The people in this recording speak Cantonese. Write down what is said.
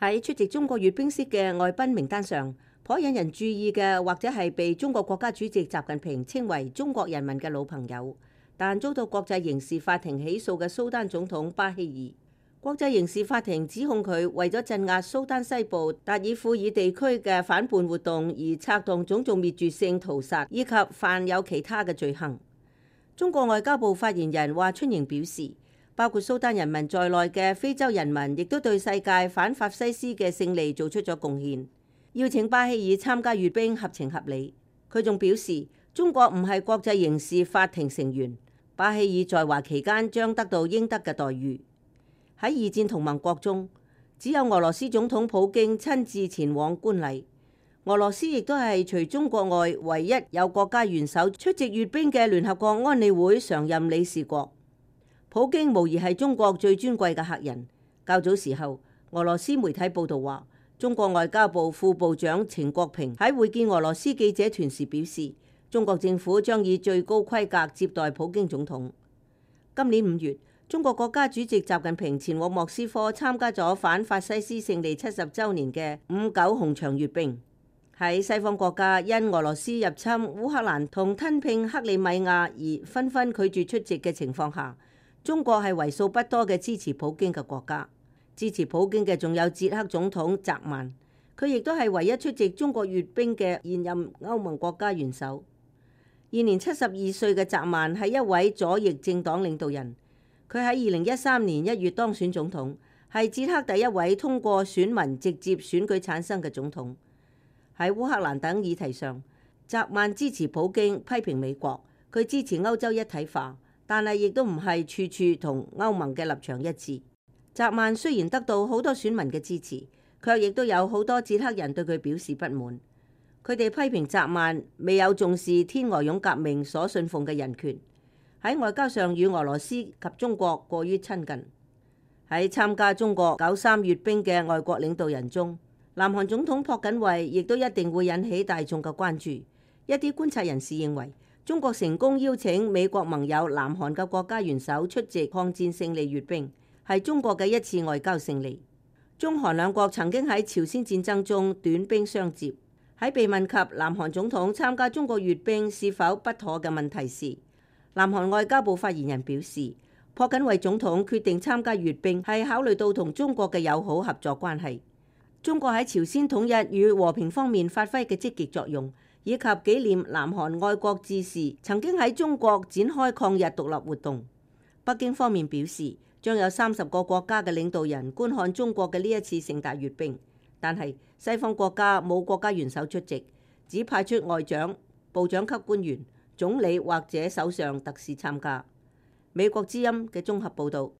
喺出席中國閱兵式嘅外賓名單上，頗引人注意嘅，或者係被中國國家主席習近平稱為中國人民嘅老朋友，但遭到國際刑事法庭起訴嘅蘇丹總統巴希爾。國際刑事法庭指控佢為咗鎮壓蘇丹西部達爾富爾地區嘅反叛活動而策動種族滅絕性屠殺，以及犯有其他嘅罪行。中國外交部發言人華春瑩表示，包括蘇丹人民在內嘅非洲人民亦都對世界反法西斯嘅勝利做出咗貢獻。邀請巴希爾參加閱兵合情合理。佢仲表示，中國唔係國際刑事法庭成員，巴希爾在華期間將得到應得嘅待遇。喺二戰同盟國中，只有俄羅斯總統普京親自前往觀禮。俄羅斯亦都係除中國外唯一有國家元首出席閱兵嘅聯合國安理會常任理事國。普京無疑係中國最尊貴嘅客人。較早時候，俄羅斯媒體報道話，中國外交部副部長程國平喺會見俄羅斯記者團時表示，中國政府將以最高規格接待普京總統。今年5月，中國國家主席習近平前往莫斯科參加咗反法西斯勝利70週年嘅5.9紅場閱兵。喺西方國家因俄羅斯入侵烏克蘭同吞併克里米亞而紛紛拒絕出席嘅情況下，中國係為數不多嘅支持普京嘅國家。支持普京嘅仲有捷克總統澤曼，佢亦都係唯一出席中國閱兵嘅現任歐盟國家元首。現年72歲嘅澤曼係一位左翼政黨領導人。佢喺2013年1月當選總統，係捷克第一位通過選民直接選舉產生嘅總統。喺烏克蘭等議題上，澤曼支持普京，批評美國。佢支持歐洲一體化，但係亦都唔係處處同歐盟嘅立場一致。澤曼雖然得到好多選民嘅支持，卻亦都有好多捷克人對佢表示不滿。佢哋批評澤曼未有重視天鵝絨革命所信奉嘅人權。喺外交上與俄羅斯及中國過於親近。喺參加中國93閱兵嘅外國領導人中，南韓總統朴槿惠亦都一定會引起大眾嘅關注。一啲觀察人士認為，中國成功邀請美國盟友南韓嘅國家元首出席抗戰勝利閱兵，係中國嘅一次外交勝利。中韓兩國曾經喺朝鮮戰爭中短兵相接。喺被問及南韓總統參加中國閱兵是否不妥嘅問題時，南韓外交部發言人表示，朴槿惠總統決定參加閱兵係考慮到同中國嘅友好合作關係，中國喺朝鮮統一與和平方面發揮嘅積極作用，以及紀念南韓愛國志士曾經喺中國展開抗日獨立活動。北京方面表示，將有30個國家嘅領導人觀看中國嘅呢一次盛大閱兵，但係西方國家冇國家元首出席，只派出外長、部長級官員、總理或者首相特使參加。美國之音嘅綜合報導。